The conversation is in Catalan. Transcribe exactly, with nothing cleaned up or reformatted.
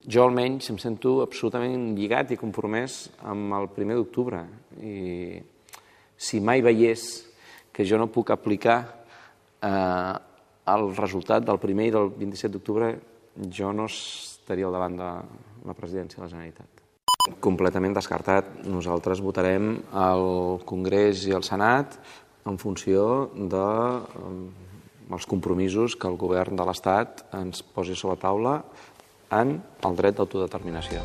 jo almenys em sento absolutament lligat i compromès amb el primer d'octubre. I si mai veiés que jo no puc aplicar eh, el resultat del primer i del vint-i-set d'octubre, jo no estaria al davant de la presidència de la Generalitat. Completament descartat. Nosaltres votarem al Congrés i al Senat en funció dels compromisos que el govern de l'Estat ens posi sobre la taula en el dret d'autodeterminació.